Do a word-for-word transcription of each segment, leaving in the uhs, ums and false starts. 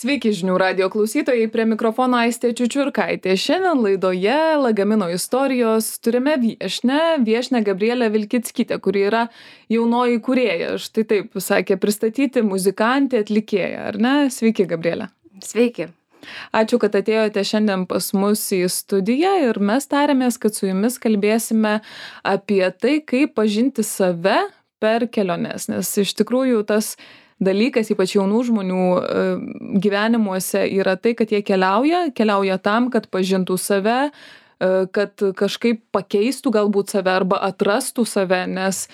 Sveiki žinių radijo klausytojai, prie mikrofono Aistė Čiučiurkaitė. Šiandien laidoje Lagamino istorijos turime viešnią, viešnią Gabrielę Vilkickytę, kuri yra jaunoji kūrėja. Štai taip sakė pristatyti muzikantė, atlikėja, ar ne? Sveiki, Gabrielė. Sveiki. Ačiū, kad atėjote šiandien pas mus į studiją ir mes tarėmės, kad su jumis kalbėsime apie tai, kaip pažinti save per keliones, nes iš tikrųjų tas dalykas, ypač jaunų žmonių gyvenimuose, yra tai, kad jie keliauja, keliauja tam, kad pažintų save, kad kažkaip pakeistų galbūt save arba atrastų save, nes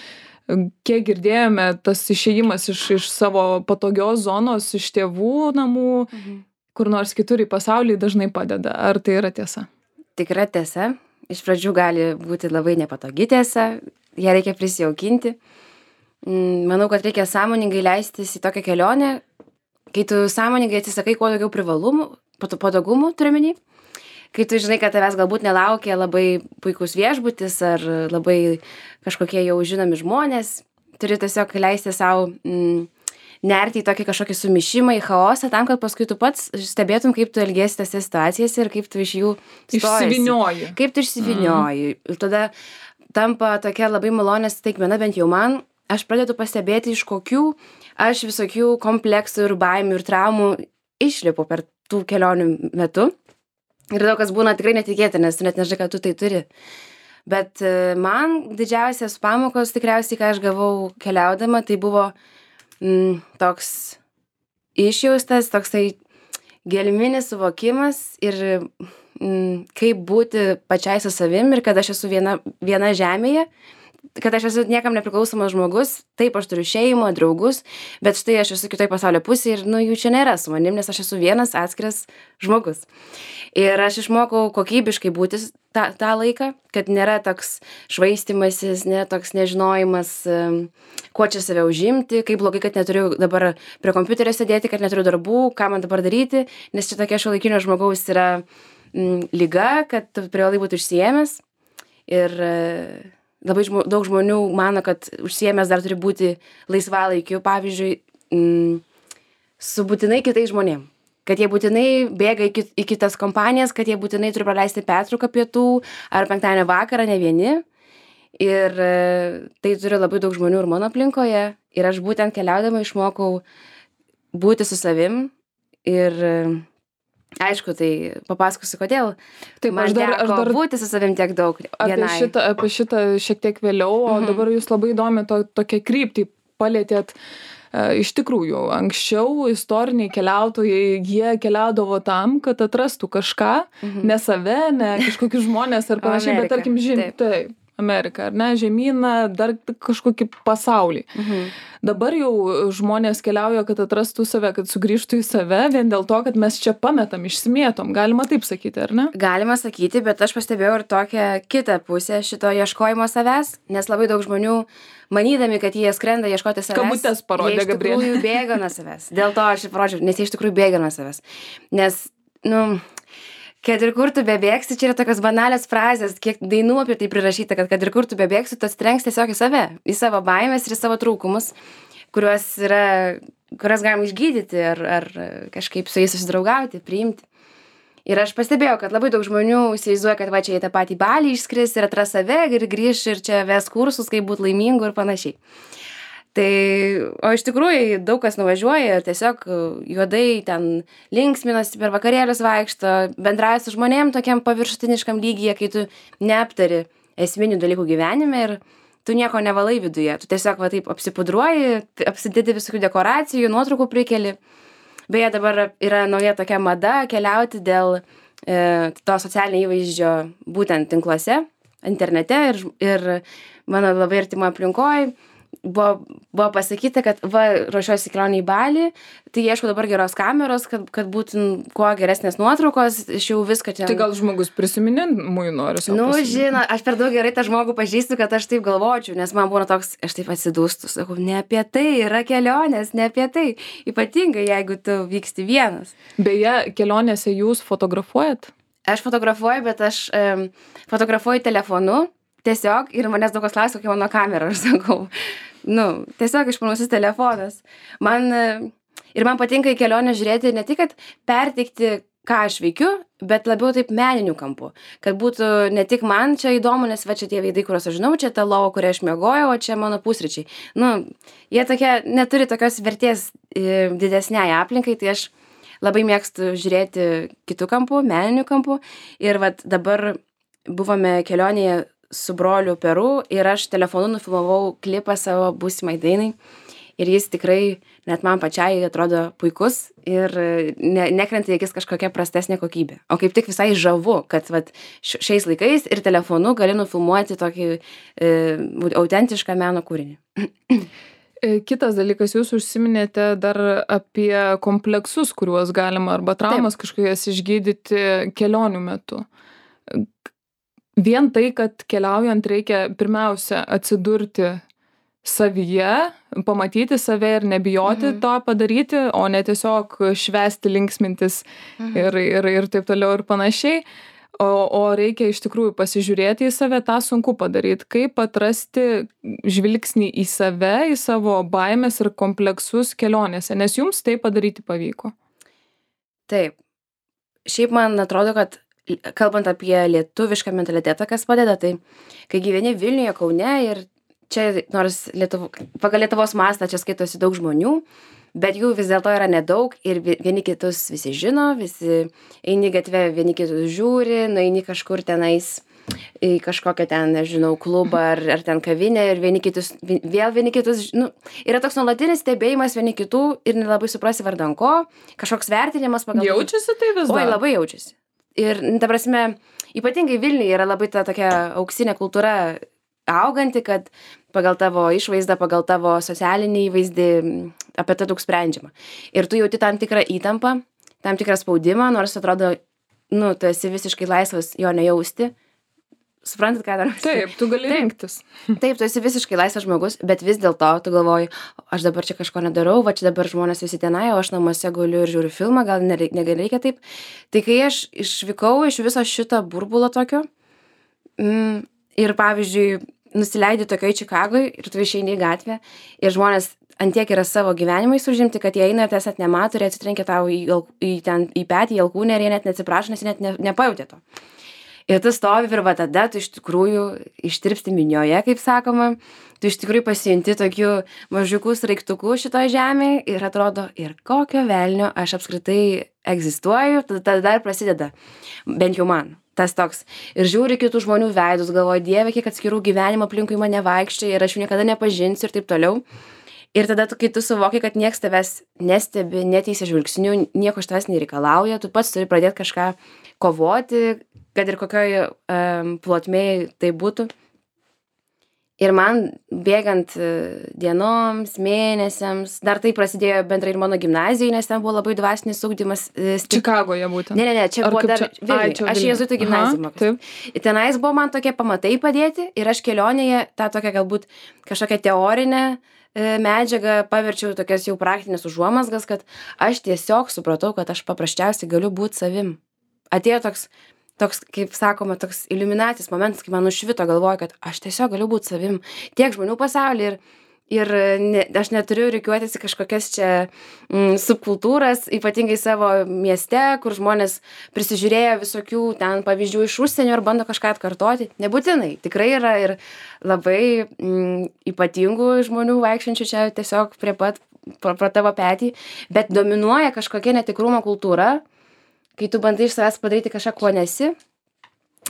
kiek girdėjome, tas išėjimas iš, iš savo patogios zonos, iš tėvų namų, mhm. kur nors kitur į pasaulį dažnai padeda. Ar tai yra tiesa? Tikra tiesa. Iš pradžių gali būti labai nepatogi tiesa, ją reikia prisijaukinti. Manau, kad reikia sąmoningai leistis į tokią kelionę, kai tu sąmoningai atsisakai kuo daugiau privalumų, patogumų turiuomenį, kai tu žinai, kad tavęs galbūt nelaukia labai puikus viešbutis ar labai kažkokie jau žinomi žmonės, turi tiesiog leisti savo mm, nerti į tokį kažkokį sumišimą, į chaosą, tam, kad paskui tu pats stebėtum, kaip tu elgiesi tose situacijose ir kaip tu iš jų išsivinioji. Kaip tu išsivinioji. Mm. Ir tada tampa tokia labai malonė staigmena, bent jau man. Aš pradedu pastebėti, iš kokių aš visokių kompleksų ir baimių ir traumų išlipu per tų kelionių metu. Ir daug kas būna tikrai netikėta, nes tu net nežinai, kad tu tai turi. Bet man didžiausias pamokos tikriausiai, ką aš gavau keliaudama, tai buvo mm, toks išjaustas, toksai gelminis suvokimas ir mm, kaip būti pačiai su savim ir kad aš esu viena, viena žemėje, kad aš esu niekam nepriklausomas žmogus, taip aš turiu šeimą, draugus, bet štai aš esu kitoj pasaulio pusėje ir nu, jų čia nėra su manim, nes aš esu vienas atskiras žmogus. Ir aš išmokau kokybiškai būti tą, tą laiką, kad nėra toks švaistimasis, nėra toks nežinojimas, kuo čia save užimti, kaip blogai, kad neturiu dabar prie kompiuterio sėdėti, kad neturiu darbų, ką man dabar daryti, nes čia tokia šiuolaikinio žmogaus yra mm, liga, kad tu privalai būti užsiėmęs. Ir labai žmo, daug žmonių mano, kad užsiėmęs dar turi būti laisvalaikiu, pavyzdžiui, m, su būtinai kitais žmonėm. Kad jie būtinai bėga į, kit, į kitas kompanijas, kad jie būtinai turi praleisti pertrauką pietų ar penktadienio vakarą, ne vieni. Ir e, tai turi labai daug žmonių ir mano aplinkoje. Ir aš būtent keliaudama išmokau būti su savim ir e, aišku, tai papasakosiu, kodėl. Taip, man aš dar, teko aš dar būti su savim tiek daug. Apie šitą, apie šitą šiek tiek vėliau, o mhm. dabar jūs labai įdomi to, tokią kryptį palėtėt. E, iš tikrųjų, anksčiau istoriniai keliautojai, jie keliaudavo tam, kad atrastų kažką, mhm. ne save, ne kažkokius žmonės ar panašiai, bet tarkim, žin, taip. taip. Ameriką, ar ne, žemyną, dar kažkokį pasaulį. Mhm. Dabar jau žmonės keliauja, kad atrastų save, kad sugrįžtų į save, vien dėl to, kad mes čia pametam, išsimėtom. Galima taip sakyti, ar ne? Galima sakyti, bet aš pastebėjau ir tokią kitą pusę šito ieškojimo savęs, nes labai daug žmonių, manydami, kad jie skrenda ieškoti savęs, kabutės parodė, Gabrielė. Jie iš tikrųjų bėga nuo savęs. Dėl to aš ir parodžiau, nes jie iš tikrųjų bėga nuo savęs. Nes, nu... Kad ir kur tu bebėgsi, čia yra tokios banalios frazės, kiek dainų apie tai prirašyta, kad kad ir kur tu bebėgsi, tu atsitrenks tiesiog į save, į savo baimės ir į savo trūkumus, kuriuos yra, kuriuos galima išgydyti ar, ar kažkaip su jais susidraugauti, priimti. Ir aš pastebėjau, kad labai daug žmonių įsivaizduoja, kad va čia į tą patį Balį išskris ir atras save ir grįš ir čia ves kursus, kaip būti laimingu ir panašiai. Tai, o iš tikrųjų daug kas nuvažiuoja, tiesiog juodai ten linksminasi, per vakarėlius vaikšto, bendrauja su žmonėm tokiam paviršutiniškam lygyje, kai tu neaptari esminių dalykų gyvenime ir tu nieko nevalai viduje. Tu tiesiog va taip apsipudruoji, apsidedi visokių dekoracijų, nuotraukų prikeli. Beje, dabar yra nauja tokia mada keliauti dėl e, to socialinio įvaizdžio būtent tinkluose, internete ir, ir mano labai artimo aplinkoje. Buvo, buvo pasakyta, kad va, ruošiuosi kelionę į Balį, tai ieškau dabar geros kameros, kad, kad būtų kuo geresnės nuotraukos, iš jau viską čia. Tai gal žmogus prisiminimui nori savo Nu, pasiminti. žinau, aš per daug gerai tą žmogų pažįstu, kad aš taip galvočiau, nes man būna toks, aš taip atsidūstu, sakau, ne apie tai yra kelionės, ne apie tai, ypatingai jeigu tu vyksti vienas. Beje, kelionėse jūs fotografuojat? Aš fotografuoju, bet aš um, fotografuoju telefonu. Tiesiog, ir manęs daug kas klausia, kokia mano kamera, aš sakau, nu, tiesiog išmanusis telefonas. Man Ir man patinka į kelionę žiūrėti ne tik, kad perteikti, ką aš veikiu, bet labiau taip meniniu kampu. Kad būtų ne tik man čia įdomu, nes va čia tie veidai, kuriuos aš žinau, čia ta lova, kurią aš miegojau, o čia mano pusryčiai. Nu, jie tokie, neturi tokios vertės e, didesniai aplinkai, tai aš labai mėgstu žiūrėti kitų kampų, meninių kampų. Ir vat dabar buvome kelionėje su broliu Peru ir aš telefonu nufilmavau klipą savo būsimai dainai. Ir jis tikrai net man pačiai atrodo puikus ir ne, nekrenta į akis kažkokia prastesnė kokybė. O kaip tik visai žavu, kad vat, šiais laikais ir telefonu gali nufilmuoti tokį e, autentišką meno kūrinį. Kitas dalykas, jūs užsiminėte dar apie kompleksus, kuriuos galima arba traumas kažkokias išgydyti kelionių metu. Vien tai, kad keliaujant reikia pirmiausia atsidurti savyje, pamatyti save ir nebijoti mhm. to padaryti, o ne tiesiog švęsti, linksmintis mhm. ir, ir, ir taip toliau ir panašiai. O, o reikia iš tikrųjų pasižiūrėti į save, tą sunku padaryti. Kaip atrasti žvilgsnį į save, į savo baimės ir kompleksus kelionėse, nes jums tai padaryti pavyko. Taip. Šiaip man atrodo, kad kalbant apie lietuvišką mentalitetą, kas padeda, tai kai gyveni Vilniuje, Kaune ir čia nors Lietuvo, pagal Lietuvos mastą čia skaitosi daug žmonių, bet jų vis dėlto yra nedaug ir vieni kitus visi žino, visi eini gatvę, vieni kitus žiūri, nueini kažkur tenais į kažkokią ten, nežinau, klubą ar, ar ten kavinę ir vieni kitus, vėl vieni kitus, nu, yra toks nuolatinis stebėjimas vieni kitų ir nelabai suprasi vardan ko, kažkoks vertinimas pagal... Jaučiasi tai vis dar? Oi, labai jaučiasi. Ir, ta prasme, ypatingai Vilniuje yra labai ta tokia auksinė kultūra auganti, kad pagal tavo išvaizdą, pagal tavo socialinį įvaizdį apie tai daug sprendžiama. Ir tu jauti tam tikrą įtampą, tam tikrą spaudimą, nors atrodo, nu, tu esi visiškai laisvas jo nejausti. Suprantat, ką dar? Taip, tu gali taip, rinktis. Taip, tu esi visiškai laisvas žmogus, bet vis dėlto tu galvoji, aš dabar čia kažko nedarau, va čia dabar žmonės visi tenai, o aš namuose guliu ir žiūriu filmą, gal nereikia taip. Tai kai aš išvykau iš viso šito burbulo tokio mm, ir, pavyzdžiui, nusileidi tokioj Čikagoj ir tu išeini į gatvę ir žmonės antiek yra savo gyvenimais užimti, kad jie eina ir tiesiog nemato ir atsitrenkia tau į, į, ten, į petį, į alkūnę ir jie net neatsiprašo, nes jie net ne, nepajautė to. Ir tu stovi ir va tada tu iš tikrųjų ištirpsti minioje, kaip sakoma, tu iš tikrųjų pasijunti tokių mažiukų sraigtukų šitoje žemėje ir atrodo, ir kokio velnio aš apskritai egzistuoju, tada dar prasideda, bent jau man, tas toks. Ir žiūri kitų žmonių veidus, galvoju, Dieve, kiek atskirų gyvenimo aplinkui mane vaikščia ir aš jų niekada nepažinsiu ir taip toliau. Ir tada, tu, kai tu suvoki, kad nieks tavęs nestebi, neteisia žvilgsnių, nieko iš tavęs nereikalauja, tu pats turi pradėti kažką kovoti, kad ir kokioj um, plotmėj tai būtų. Ir man bėgant uh, dienoms, mėnesiams, dar tai prasidėjo bendrai ir mano gimnazijai, nes ten buvo labai dvasinis ugdymas. Uh, Čikagoje būtent. Ne, ne, ne, čia Ar buvo dar čia... Vilniuje. Aš jėzuitų gimnaziją mokiausi. Tenais buvo man tokie pamatai padėti ir aš kelionėje tą tokią galbūt kažkokią teorinę medžiagą paverčiau tokias jau praktinės užuomazgas, kad aš tiesiog supratau, kad aš paprasčiausiai galiu būti savim. Atėjo toks, toks, kaip sakoma, toks iliuminacijos momentas, kai man nušvito, galvoju, kad aš tiesiog galiu būti savim. Tiek žmonių pasaulyje ir, ir ne, aš neturiu rikiuotis į kažkokias čia mm, subkultūras, ypatingai savo mieste, kur žmonės prisižiūrėjo visokių ten pavyzdžių iš užsienio ir bando kažką atkartoti. Nebūtinai, tikrai yra ir labai mm, ypatingų žmonių vaikščiančių čia tiesiog prie pat pro, pro tavo petį, bet dominuoja kažkokia netikrumo kultūra, kai tu bandai iš savęs padaryti kažką, kuo nesi.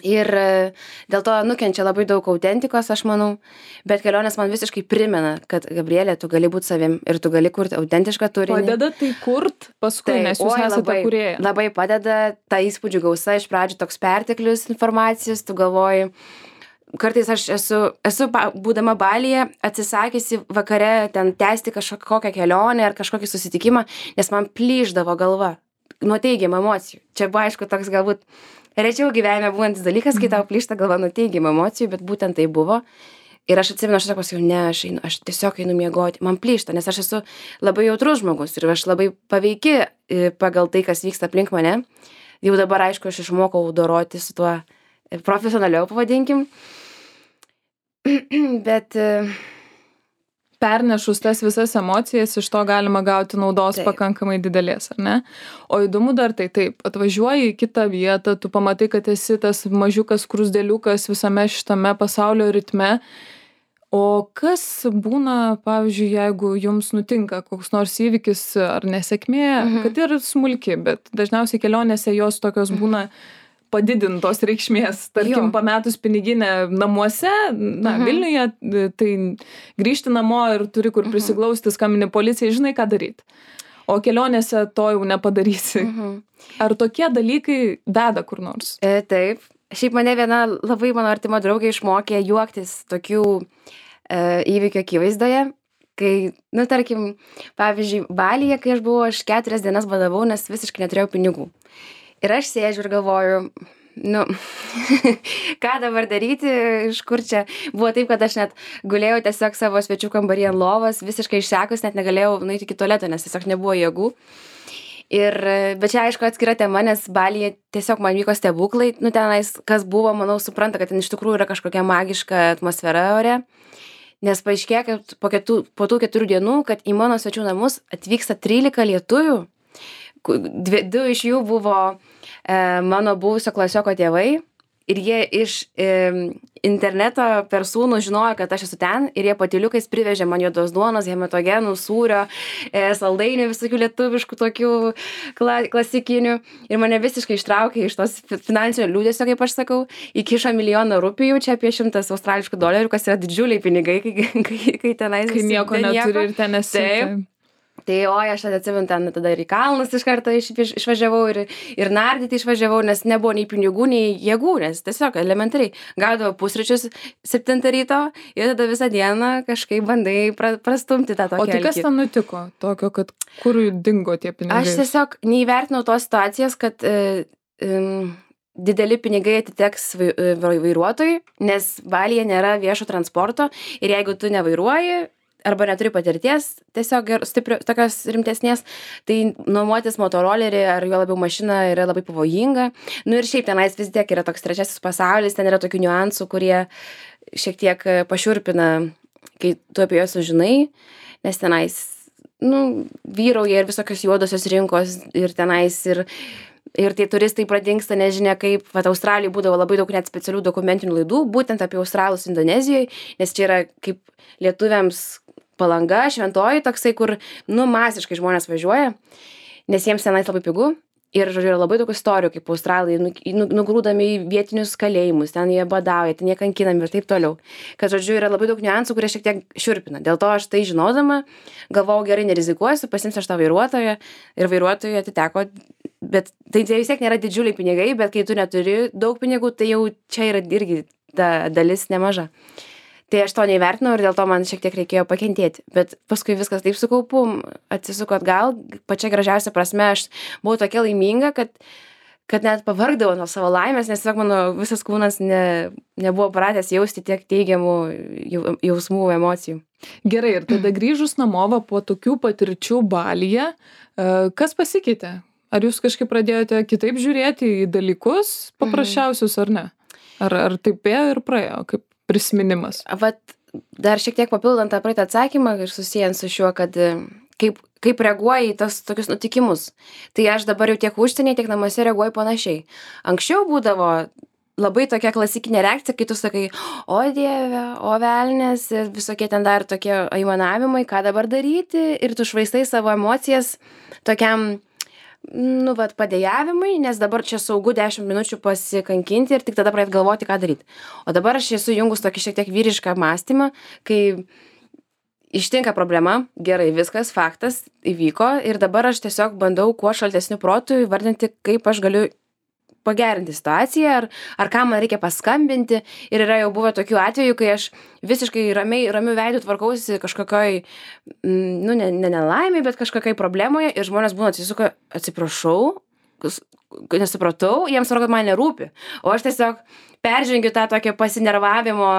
Ir dėl to nukenčia labai daug autentikos, aš manau, bet kelionės man visiškai primena, kad Gabrielė, tu gali būti savim ir tu gali kurti autentišką turinį. Padeda tai kurt paskui, tai, nes jūs oi, esate labai, kūrėja. Labai padeda, ta įspūdžių gausa, iš pradžių toks perteklius informacijos, tu galvoji, kartais aš esu, esu būdama Balyje atsisakysi vakare ten tęsti kažkokią kelionę ar kažkokį susitikimą, nes man plyšdavo galva nuo teigiamų emocijų. Čia buvo, aišku, toks galbūt rečiau gyvenime būnantis dalykas, kai tau plyšta galva nuo teigiamų emocijų, bet būtent tai buvo. Ir aš atsimenu, aš tiesiog pasakiau, ne, aš, einu, aš tiesiog einu miegoti, man plyšta, nes aš esu labai jautrus žmogus ir aš labai paveiki pagal tai, kas vyksta aplink mane. Jau dabar, aišku, aš išmokau doroti su tuo profesionaliau, pavadinkim. Bet... pernešus tas visas emocijas, iš to galima gauti naudos Taip. pakankamai didelės, ar ne? O įdomu dar tai taip, atvažiuoji į kitą vietą, tu pamatai, kad esi tas mažiukas krusdėliukas visame šitame pasaulio ritme. O kas būna, pavyzdžiui, jeigu jums nutinka koks nors įvykis ar nesėkmė, Mhm. kad ir smulki, bet dažniausiai kelionėse jos tokios būna padidintos reikšmės. Tarkim, Jo. pametus piniginę namuose, na, Mhm. Vilniuje, tai grįžti namo ir turi kur prisiglausti, skambini policijai, žinai, ką daryti. O kelionėse to jau nepadarysi. Mhm. Ar tokie dalykai veda kur nors? E, taip. Šiaip mane viena labai mano artima draugė išmokė juoktis tokių e, įvykių akivaizdoje, kai, nu, tarkim, pavyzdžiui, Balyje, kai aš buvau, aš keturias dienas badavau, nes visiškai neturėjau pinigų. Ir aš sėdžiu ir galvoju, nu, ką dabar daryti, iš kur čia. Buvo taip, kad aš net gulėjau tiesiog savo svečių kambarį ant lovos, visiškai išsekus, net negalėjau nueiti iki tualeto, nes tiesiog nebuvo jėgų. Ir, bet čia aišku atskira tema, nes Balyje tiesiog man vyko stebuklai, nu tenais, kas buvo, manau, supranta, kad ten iš tikrųjų yra kažkokia magiška atmosfera ore, nes paaiškėjo, kad po, ketų, po tų keturių dienų, kad į mano svečių namus atvyksta trylika lietuvių, dvi, du iš jų buvo e, mano buvusio klasioko tėvai. Ir jie iš e, interneto per sūnų žinojo, kad aš esu ten ir jie patyliukais privežė man juodos duonos, hematogenų, sūrio, e, saldainių, visokių lietuviškų tokių kla, klasikinių. Ir mane visiškai ištraukė iš tos finansinio liūdesio, kaip aš sakau, įkišo milijoną rupijų, čia apie šimtas australiškų dolerių, kas yra didžiuliai pinigai, kai, kai, kai tenais... Kai nieko neturi ir ten esi. Taip. Tai oi, aš tada atsimenu, ten tada ir į kalnus iš karto iš, iš, išvažiavau ir, ir nardyti išvažiavau, nes nebuvo nei pinigų, nei jėgų, nes tiesiog elementariai gaudavau pusryčius septintą ryto ir tada visą dieną kažkaip bandai pra, prastumti tą tokį. O tai kas ten nutiko tokio, kad kur dingo tie pinigai? Aš tiesiog neįvertinau tos situacijos, kad e, e, dideli pinigai atiteks vai, vairuotojui, nes Balyje nėra viešo transporto ir jeigu tu nevairuoji, arba neturi patirties, tiesiog stiprios, tokios rimtesnės, tai nuomotis motorolerį ar jo labiau mašiną yra labai pavojinga. Nu ir šiaip tenais vis tiek yra toks trečiasis pasaulis, ten yra tokių niuansų, kurie šiek tiek pašiurpina, kai tu apie juos sužinai, nes tenais, nu, vyrauja ir visokios juodosios rinkos ir tenais ir Ir tie turistai pradingsta, nežinia kaip, vat Australijai būdavo labai daug net specialių dokumentinių laidų, būtent apie Australus Indonezijoje, nes čia yra kaip lietuviams Palanga, šventoji toksai, kur, nu, masiškai žmonės važiuoja, nes jiems tenais labai pigu. Ir, žodžiu, yra labai daug istorijų, kaip australai nugrūdami į vietinius kalėjimus, ten jie badauja, ten jie kankinami ir taip toliau. Kad, žodžiu, yra labai daug niuansų, kurie šiek tiek šiurpina. Dėl to aš tai žinodama, galvojau, gerai nerizikuosiu, pasiimsiu aš tą vairuotoją ir vairuotojui atiteko. Bet tai vis tiek nėra didžiuliai pinigai, bet kai tu neturi daug pinigų, tai jau čia yra irgi ta dalis nemaža. Tai aš to neįvertinau ir dėl to man šiek tiek reikėjo pakentėti. Bet paskui viskas taip sukaupu, atsisuko atgal, pačia gražiausia prasme, aš buvau tokia laiminga, kad, kad net pavargdavau nuo savo laimės, nes tiesiog mano visas kūnas ne, nebuvo pratęs jausti tiek teigiamų jausmų, emocijų. Gerai, ir tada grįžus namo po tokių patirčių Balyje, kas pasikeitė? Ar jūs kažkaip pradėjote kitaip žiūrėti į dalykus paprasčiausius ar ne? Ar, ar taip ėjo ir praėjo, kaip prisiminimas? Vat dar šiek tiek papildant tą praeitą atsakymą ir susijęs su šiuo, kad kaip, kaip reaguoji į tas tokius nutikimus. Tai aš dabar jau tiek užsienyje, tiek namuose reaguoju panašiai. Anksčiau būdavo labai tokia klasikinė reakcija, kai tu sakai, o dieve, o velnės, visokie ten dar tokie aimanavimai, ką dabar daryti, ir tu švaistai savo emocijas tokiam, nu, vat, padėjavimai, nes dabar čia saugu dešimt minučių pasikankinti ir tik tada pradėt galvoti, ką daryti. O dabar aš esu jungus tokį šiek tiek vyrišką mąstymą, kai ištinka problema, gerai, viskas, faktas, įvyko ir dabar aš tiesiog bandau kuo šaltesniu protu įvardinti, kaip aš galiu pagerinti situaciją, ar, ar ką man reikia paskambinti. Ir yra jau buvę tokių atvejų, kai aš visiškai ramiai, ramių veidų tvarkausi kažkokioj, nu, ne, ne nelaimė, bet kažkokioj problemoje ir žmonės būna atsisuka, atsiprašau, nesupratau, jiems svarbu, kad man nerūpi. O aš tiesiog peržengiu tą tokią pasinervavimo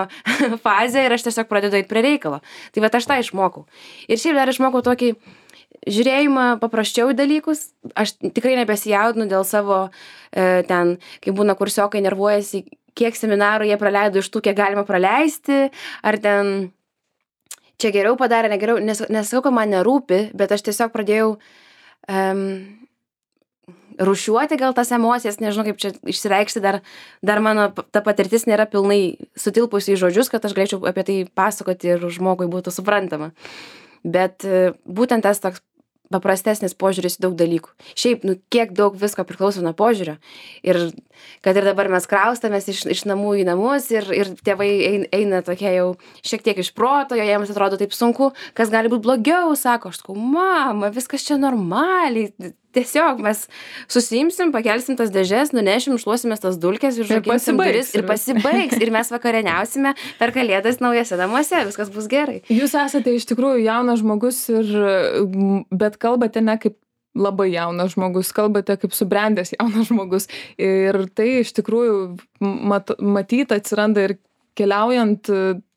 fazę ir aš tiesiog pradedu eiti prie reikalo. Tai va aš tą išmokau. Ir šiaip dar išmokau tokį žiūrėjimą paprasčiau į dalykus. Aš tikrai nebesijaudinu dėl savo e, ten, kai būna kursiokai nervuojasi, kiek seminarų jie praleido iš tų, kiek galima praleisti, ar ten čia geriau padarė, negeriau, nes, nesakau, kad man nerūpi, bet aš tiesiog pradėjau um, rušiuoti gal tas emocijas, nežinau kaip čia išsireikšti, dar, dar mano ta patirtis nėra pilnai sutilpusi į žodžius, kad aš galėčiau apie tai pasakoti ir žmogui būtų suprantama. Bet būtent tas toks paprastesnis požiūris į daug dalykų. Šiaip, nu, kiek daug visko priklauso nuo požiūrio. Ir kad ir dabar mes kraustamės iš, iš namų į namus ir, ir tėvai eina, eina tokie jau šiek tiek iš proto, jo jiems atrodo taip sunku, kas gali būti blogiau, sako, aš sakau, mama, viskas čia normaliai. Tiesiog mes susiimsim, pakelsim tas dėžes, nunešim, šluosimės tas dulkes, užrakinsim duris ir pasibaigs. Ir mes vakarieniausime per Kalėdas naujose namuose, viskas bus gerai. Jūs esate iš tikrųjų jaunas žmogus, ir, bet kalbate ne kaip labai jaunas žmogus, kalbate kaip subrendęs jaunas žmogus. Ir tai iš tikrųjų mat, matyt atsiranda ir keliaujant,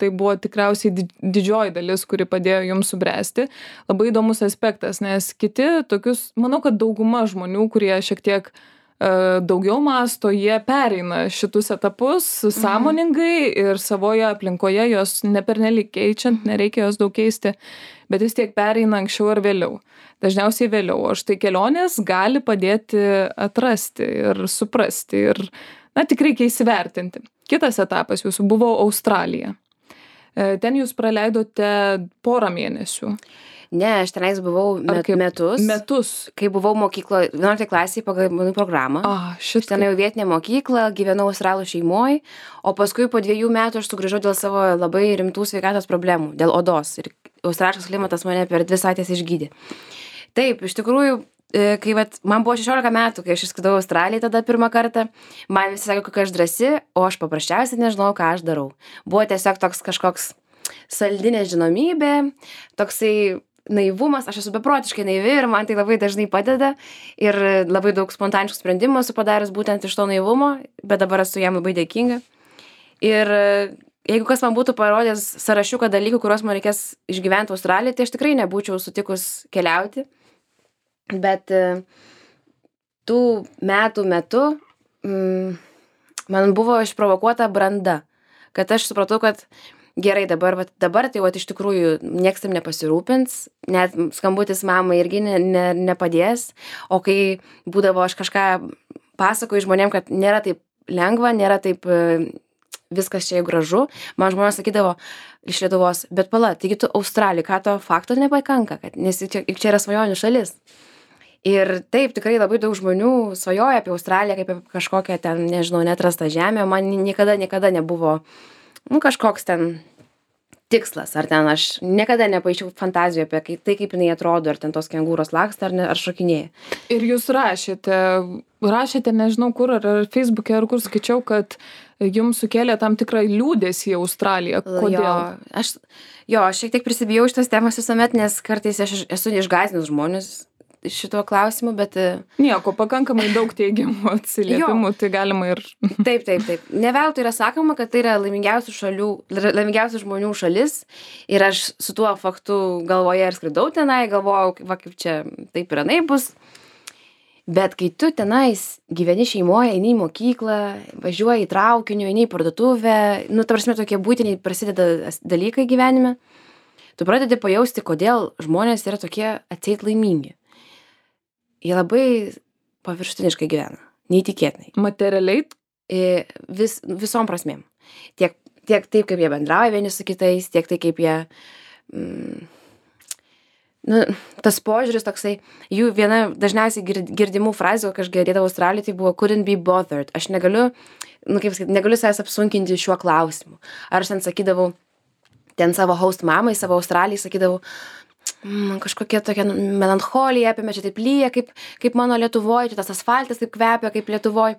tai buvo tikriausiai didžioji dalis, kuri padėjo jums subręsti. Labai įdomus aspektas, nes kiti tokius, manau, kad dauguma žmonių, kurie šiek tiek uh, daugiau mąsto, jie pereina šitus etapus sąmoningai ir savoje aplinkoje jos nepernelyg keičiant, nereikia jos daug keisti, bet vis tiek pereina anksčiau ar vėliau. Dažniausiai vėliau, o štai kelionės gali padėti atrasti ir suprasti ir, na, tik reikia įsivertinti. Kitas etapas jūsų buvo Australija. Ten jūs praleidote porą mėnesių. Ne, aš tenais buvau met, kaip, metus. Metus. Kai buvau mokyklo, vienuoliktoje klasėje pagal mano programą. A, šit. Ten jau vietinė mokykla, gyvenau australų šeimoj, o paskui po dviejų metų aš sugrįžau dėl savo labai rimtų sveikatos problemų, dėl odos. Ir australiškas klimatas mane per dvi savaitės išgydė. Taip, iš tikrųjų, kai vat, man buvo šešiolika metų, kai aš išskridau į Australiją tada pirmą kartą, man visi sakė, kokia aš drąsi, o aš paprasčiausiai nežinau, ką aš darau. Buvo tiesiog toks kažkoks saldinė žinomybė, toksai naivumas, aš esu beprotiškai naivi ir man tai labai dažnai padeda ir labai daug spontaniškų sprendimų esu padaręs būtent iš to naivumo, bet dabar esu jam labai dėkinga. Ir jeigu kas man būtų parodęs sąrašiuką dalykų, kuriuos man reikės išgyventi Australijoje, tai aš tikrai nebūčiau sutikus keliauti. Bet tų metų metu mm, man buvo išprovokuota branda, kad aš supratau, kad gerai dabar, vat, dabar tai vat, iš tikrųjų nieks tam nepasirūpins, net skambutis mamai irgi ne, ne, nepadės, o kai būdavo aš kažką pasakoju žmonėm, kad nėra taip lengva, nėra taip viskas čia gražu, man žmonės sakydavo iš Lietuvos, bet pala, taigi tu Australija, ką to fakto nepakanka, kad, nes čia, čia yra svajonių šalis. Ir taip, tikrai labai daug žmonių svajoja apie Australiją kaip apie kažkokią ten, nežinau, neatrastą žemę, man niekada, niekada nebuvo, nu, kažkoks ten tikslas, ar ten aš niekada nepaišiau fantazijų apie tai, kaip jinai atrodo, ar ten tos kengūros laksta, ar, ne, ar šokinėja. Ir jūs rašėte, rašėte, nežinau kur, ar Facebook'e, ar kur skaičiau, kad jums sukėlė tam tikrą liūdesį į Australiją. Kodėl? Jo, aš, jo, aš šiek tiek prisibijau šitas temas visuomet, nes kartais aš esu išgąsdinus žmonės šituo klausimu, bet... Nieko, pakankamai daug teigiamų atsiliepimų, jo. Tai galima ir... Taip, taip, taip. Ne veltui yra sakoma, kad tai yra laimingiausių šalių, laimingiausių žmonių šalis ir aš su tuo faktu galvoje ir skridau tenai, galvojau, va kaip čia taip ir anaip bus. Bet kai tu tenais gyveni šeimoje, eini į mokyklą, važiuoji į traukiniu, eini į parduotuvę, nu, ta prasme, tokie būtiniai prasideda dalykai gyvenime, tu pradedi pajausti, kodėl žmonės yra tokie atseit laimingi. Jie labai paviršutiniškai gyvena, neįtikėtinai. Materialiai? Vis, visom prasmėm. Tiek, tiek taip, kaip jie bendrauja vieni su kitais, tiek tai, kaip jie... Mm, nu, tas požiūris toksai, jų viena dažniausiai girdimų frazių, kai aš girdėdavau Australijoje, tai buvo couldn't be bothered. Aš negaliu, nu, kaip sakyti, negaliu savęs apsunkinti šiuo klausimu. Ar aš ten sakydavau, ten savo host mamai, savo Australijai sakydavau, man kažkokia tokia melancholija apėmė, čia taip lyja, kaip, kaip mano Lietuvoj, čia tas asfaltas taip kvepia, kaip Lietuvoj.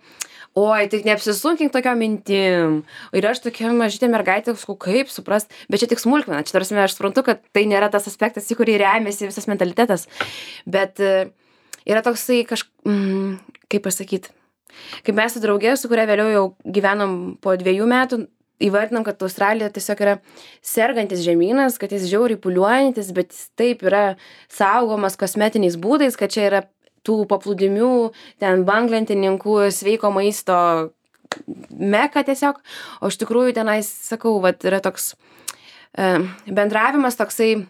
Oi, tik neapsisunkink tokiom mintim. Ir aš tokia mažytė mergaitė, sakau, kaip suprast, bet čia tik smulkmena. Čia tarsi aš suprantu, kad tai nėra tas aspektas, į kurį remiasi visas mentalitetas. Bet yra toksai kažk... Mm, kaip pasakyti, kaip mes su draugė, su kuria vėliau jau gyvenom po dviejų metų, įvardinam, kad Australija tiesiog yra sergantis žemynas, kad jis žiauriai pūliuojantis, bet jis taip yra saugomas kosmetiniais būdais, kad čia yra tų paplūdimių, ten banglentininkų, sveiko maisto meka tiesiog. O iš tikrųjų tenais, sakau, vat, yra toks e, bendravimas toksai,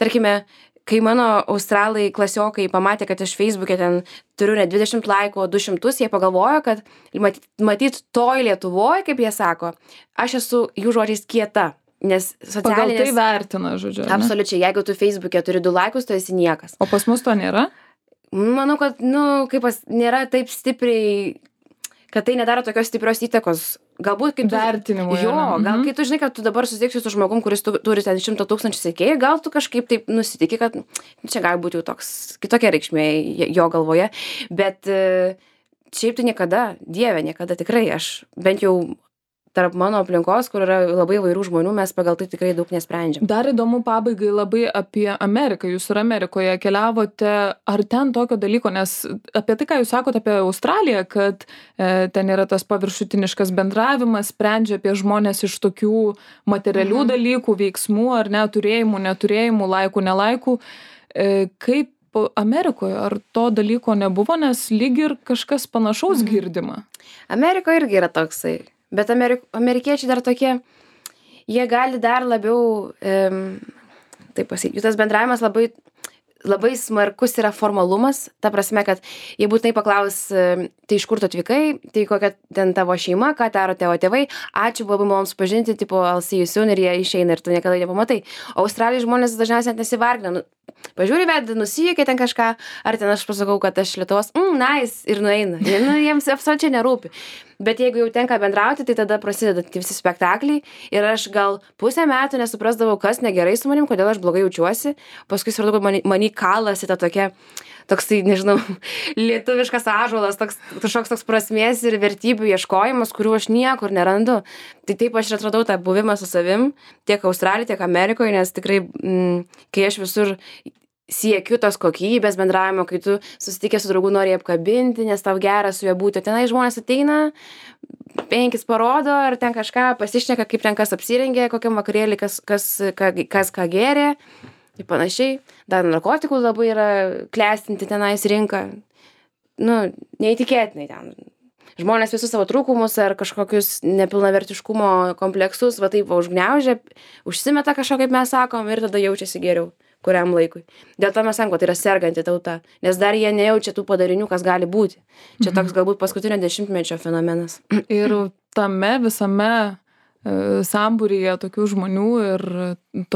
tarkime, kai mano australai klasiokai pamatė, kad aš Facebook'e ten turiu ne dvidešimt laikų, o du šimtus, jie pagalvojo, kad matyt, matyt toj Lietuvoje, kaip jie sako, aš esu jų žodžiais kieta, nes socialinės... Pagal tai vertina, žodžiu. Absoliučiai, jeigu tu Facebook'e turi du laikus, tu esi niekas. O pas mus to nėra? Manau, kad, nu, kaip pas, nėra taip stipriai, kad tai nedaro tokios stiprios įtakos. Galbūt kaip tu... Vertinimų. Jo, yra. gal Mhm. kai tu žinai, kad tu dabar susitiksi su žmogum, kuris tu, turi ten šimtą tūkstančių sekėjų, gal tu kažkaip taip nusitiki, kad čia gali būti jau toks kitokia reikšmė jo galvoje. Bet e, šiaip tai niekada, Dieve, niekada tikrai aš bent jau tarp mano aplinkos, kur yra labai vairių žmonių, mes pagal tai tikrai daug nesprendžiam. Dar įdomu pabaigai labai apie Ameriką. Jūs ir Amerikoje keliavote, ar ten tokio dalyko, nes apie tai, ką jūs sakote apie Australiją, kad e, ten yra tas paviršutiniškas bendravimas, sprendžia apie žmonės iš tokių materialių Mhm. dalykų, veiksmų, ar ne, turėjimų, neturėjimų, laikų, nelaikų. E, kaip Amerikoje, ar to dalyko nebuvo, nes lyg ir kažkas panašaus girdima? Amerikoje irgi yra toksai. Bet Amerik amerikiečiai dar tokie, jie gali dar labiau, um, taip pasakyti, jų tas bendravimas labai, labai smarkus yra formalumas, ta prasme, kad jie būtinai paklaus, um, tai iš kur tu atvykai, tai kokia ten tavo šeima, ką daro tavo tėvai, ačiū, buvo labai malonu supažinti, tipo, I'll see you soon, ir jie išeina ir tu niekada nepamatai. O Australijos žmonės dažniausiai net nesivargina. Nu, pažiūri vedą, nusijuokia ten kažką, ar ten aš pasakau, kad aš Lietuvos, mm, nice, ir nueina. Jie, nu, jiems absoliučiai nerūpi. Bet jeigu jau tenka bendrauti, tai tada prasideda tie visi spektakliai ir aš gal pusę metų nesuprasdavau, kas negerai su manim, kodėl aš blogai jaučiuosi. Paskui supratau, kad mani, mani kalasi ta tokia, toksai, nežinau, lietuviškas ąžuolas, toks, kažkoks toks prasmės ir vertybių ieškojimas, kurių aš niekur nerandu. Tai taip aš ir atradau tą buvimą su savim, tiek Australijoje, tiek Amerikoje, nes tikrai, mm, kai aš visur siekiu tos kokybės bendravimo, kai tu susitikęs su draugu nori apkabinti, nes tau gera su juo būti. Tenai žmonės ateina, penkis parodo, ar ten kažką pasišneka, kaip ten kas apsirengė, kokiam vakarėlį, kas, kas, ką, kas ką gėrė. Ir panašiai. Dar narkotikų labai yra klestinti tenais rinka. Nu, neįtikėtinai ten. Žmonės visus savo trūkumus ar kažkokius nepilnavertiškumo kompleksus, va taip va užgniaužia, užsimeta kažko, kaip mes sakom, ir tada jaučiasi geriau kuriam laikui. Dėl to mes sakom, kad tai yra serganti tauta, nes dar jie nejaučia tų padarinių, kas gali būti. Čia toks galbūt paskutinio dešimtmečio fenomenas. Ir tame visame e, sambūryje tokių žmonių ir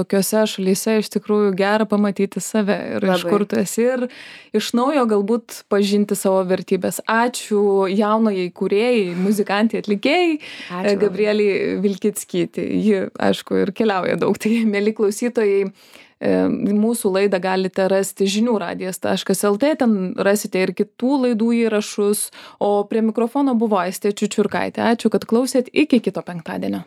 tokiose šalyse iš tikrųjų gera pamatyti save ir iš Labai. kur tu esi ir iš naujo galbūt pažinti savo vertybės. Ačiū jaunajai kūrėjai, muzikantai, atlikėjai, Ačiū. Gabrieliai Vilkickytei. Ji, aišku, ir keliauja daug. Tai, mėly klausytojai, e, mūsų laidą galite rasti žinių radijas taškas lt, ten rasite ir kitų laidų įrašus, o prie mikrofono buvo Aistė Čiučiurkaitė. Ačiū, kad klausėt, iki kito penktadienio.